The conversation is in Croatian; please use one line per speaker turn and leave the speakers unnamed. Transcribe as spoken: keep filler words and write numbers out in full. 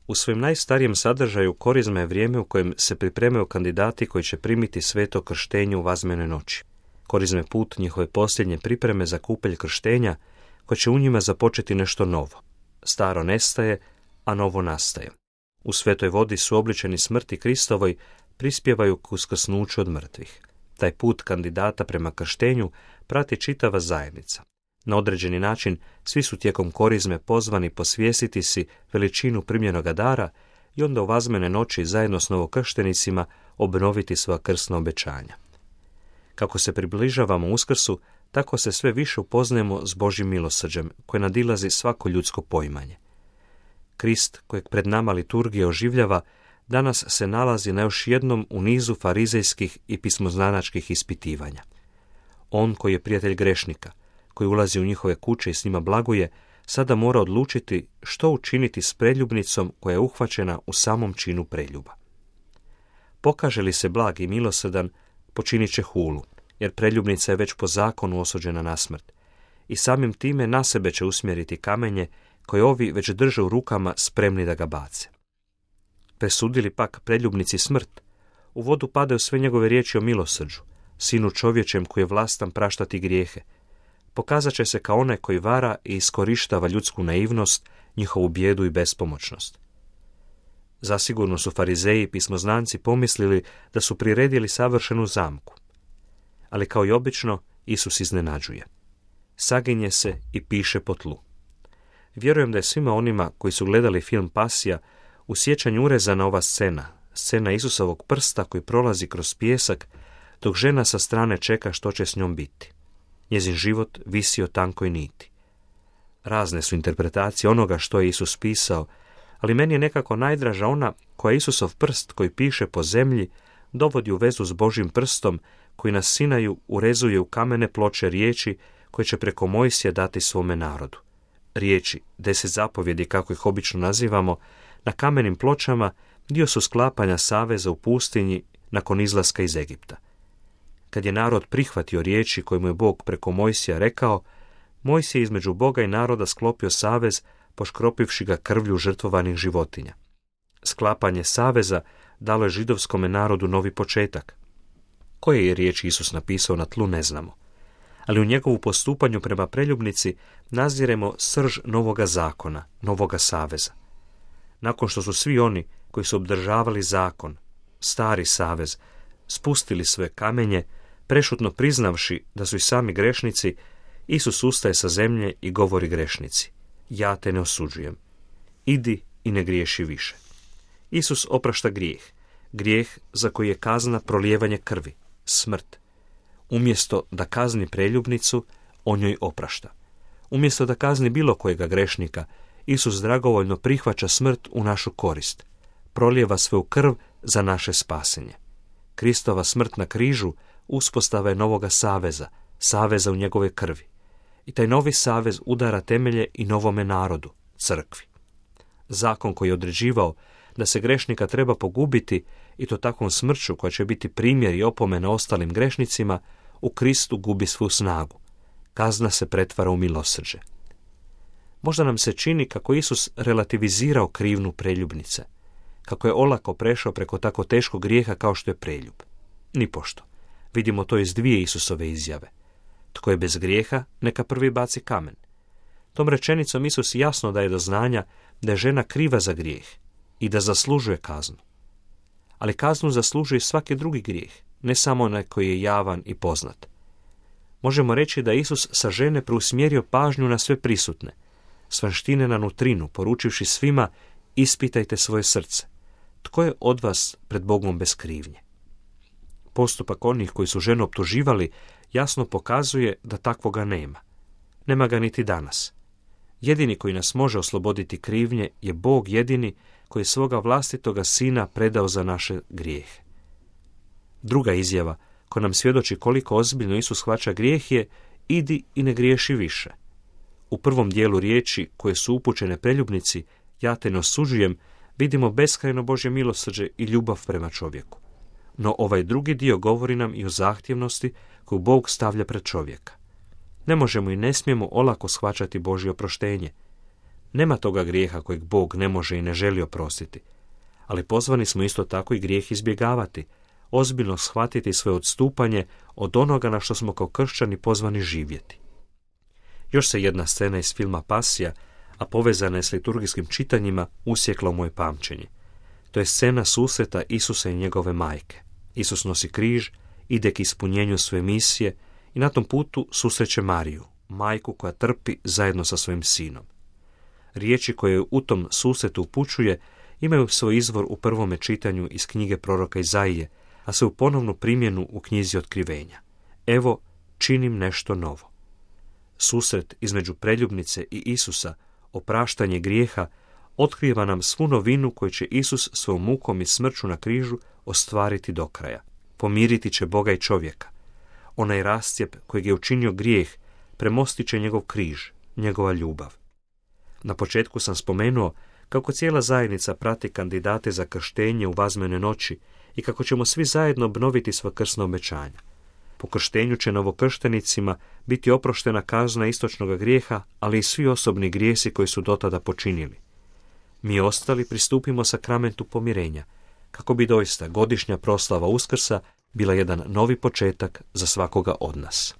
U svojem najstarijem sadržaju korizma je vrijeme u kojem se pripremaju kandidati koji će primiti sveto krštenje u vazmene noći. Korizma je put njihove posljednje pripreme za kupelj krštenja, koje će u njima započeti nešto novo. Staro nestaje, a novo nastaje. U svetoj vodi su obličeni smrti Kristovoj, prispjevaju k uskrsnuću od mrtvih. Taj put kandidata prema krštenju prati čitava zajednica. Na određeni način svi su tijekom korizme pozvani posvijestiti si veličinu primljenoga dara i onda u vazmene noći zajedno s novokrštenicima obnoviti svoja krsna obećanja. Kako se približavamo Uskrsu, tako se sve više upoznajemo s Božjim milosrđem, koje nadilazi svako ljudsko poimanje. Krist, kojeg pred nama liturgija oživljava, danas se nalazi na još jednom u nizu farizejskih i pismoznanačkih ispitivanja. On koji je prijatelj grešnika, koji ulazi u njihove kuće i s njima blaguje, sada mora odlučiti što učiniti s preljubnicom koja je uhvaćena u samom činu preljuba. Pokaže li se blag i milosrdan, počinit će hulu, jer preljubnica je već po zakonu osuđena na smrt, i samim time na sebe će usmjeriti kamenje koje ovi već drže u rukama spremni da ga bace. Presudili pak preljubnici smrt, u vodu padaju sve njegove riječi o milosrđu, sinu čovječem koji je vlastan praštati grijehe. Pokazat će se kao onaj koji vara i iskorištava ljudsku naivnost, njihovu bijedu i bespomoćnost. Zasigurno su farizeji i pismoznanci pomislili da su priredili savršenu zamku. Ali kao i obično, Isus iznenađuje. Saginje se i piše po tlu. Vjerujem da je svima onima koji su gledali film Pasija u sjećanju urezana ova scena, scena Isusovog prsta koji prolazi kroz pijesak, dok žena sa strane čeka što će s njom biti. Njezin život visi o tankoj niti. Razne su interpretacije onoga što je Isus pisao, ali meni je nekako najdraža ona koja Isusov prst koji piše po zemlji dovodi u vezu s Božjim prstom koji na Sinaju urezuje u kamene ploče riječi koje će preko Mojsija dati svome narodu. Riječi, deset zapovjedi kako ih obično nazivamo, na kamenim pločama dio su sklapanja saveza u pustinji nakon izlaska iz Egipta. Kad je narod prihvatio riječi koje mu je Bog preko Mojsija rekao, Mojsije između Boga i naroda sklopio savez, poškropivši ga krvlju žrtvovanih životinja. Sklapanje saveza dalo je židovskome narodu novi početak. Koje je riječi Isus napisao na tlu ne znamo, ali u njegovu postupanju prema preljubnici naziremo srž novoga zakona, novoga saveza. Nakon što su svi oni koji su obdržavali zakon, stari savez, spustili sve kamenje, prešutno priznavši da su i sami grešnici, Isus ustaje sa zemlje i govori grešnici: ja te ne osuđujem. Idi i ne griješi više. Isus oprašta grijeh, grijeh za koji je kazna prolijevanje krvi, smrt. Umjesto da kazni preljubnicu, on joj oprašta. Umjesto da kazni bilo kojega grešnika, Isus dragovoljno prihvaća smrt u našu korist, prolijeva svoju krv za naše spasenje. Kristova smrt na križu uspostava je novoga saveza, saveza u njegove krvi. I taj novi savez udara temelje i novome narodu, crkvi. Zakon koji je određivao da se grešnika treba pogubiti, i to takvom smrću koja će biti primjer i opomena ostalim grešnicima, u Kristu gubi svu snagu. Kazna se pretvara u milosrđe. Možda nam se čini kako Isus relativizirao krivnju preljubnice, kako je olako prešao preko tako teškog grijeha kao što je preljub. Nipošto. Vidimo to iz dvije Isusove izjave. Tko je bez grijeha, neka prvi baci kamen. Tom rečenicom Isus jasno daje do znanja da je žena kriva za grijeh i da zaslužuje kaznu. Ali kaznu zaslužuje svaki drugi grijeh, ne samo onaj koji je javan i poznat. Možemo reći da Isus sa žene preusmjerio pažnju na sve prisutne, svanštine na nutrinu, poručivši svima: ispitajte svoje srce. Tko je od vas pred Bogom bez krivnje? Postupak onih koji su ženu optuživali jasno pokazuje da takvoga nema. Nema ga niti danas. Jedini koji nas može osloboditi krivnje je Bog jedini koji je svoga vlastitoga sina predao za naše grijehe. Druga izjava koja nam svjedoči koliko ozbiljno Isus shvaća grijeh je: idi i ne griješi više. U prvom dijelu riječi koje su upućene preljubnici, ja te ne osuđujem, vidimo beskrajno Božje milosrđe i ljubav prema čovjeku. No ovaj drugi dio govori nam i o zahtjevnosti koju Bog stavlja pred čovjeka. Ne možemo i ne smijemo olako shvaćati Božje oproštenje. Nema toga grijeha kojeg Bog ne može i ne želi oprostiti, ali pozvani smo isto tako i grijeh izbjegavati, ozbiljno shvatiti svoje odstupanje od onoga na što smo kao kršćani pozvani živjeti. Još se jedna scena iz filma Pasija, a povezana je s liturgijskim čitanjima, usjekla u moje pamćenje. To je scena susreta Isusa i njegove majke. Isus nosi križ, ide k ispunjenju svoje misije i na tom putu susreće Mariju, majku koja trpi zajedno sa svojim sinom. Riječi koje u tom susretu upućuje imaju svoj izvor u prvome čitanju iz knjige proroka Izaije, a se u ponovnu primjenu u knjizi Otkrivenja. Evo, činim nešto novo. Susret između preljubnice i Isusa, opraštanje grijeha, otkriva nam svu novinu koju će Isus svojom mukom i smrću na križu ostvariti do kraja. Pomiriti će Boga i čovjeka. Onaj rascijep kojeg je učinio grijeh premostit će njegov križ, njegova ljubav. Na početku sam spomenuo kako cijela zajednica prati kandidate za krštenje u vazmene noći i kako ćemo svi zajedno obnoviti sva krsna obećanja. Po krštenju će novokrštenicima biti oproštena kazna istočnog grijeha, ali i svi osobni grijesi koji su dotada počinili. Mi ostali pristupimo sakramentu pomirenja, kako bi doista godišnja proslava Uskrsa bila jedan novi početak za svakoga od nas.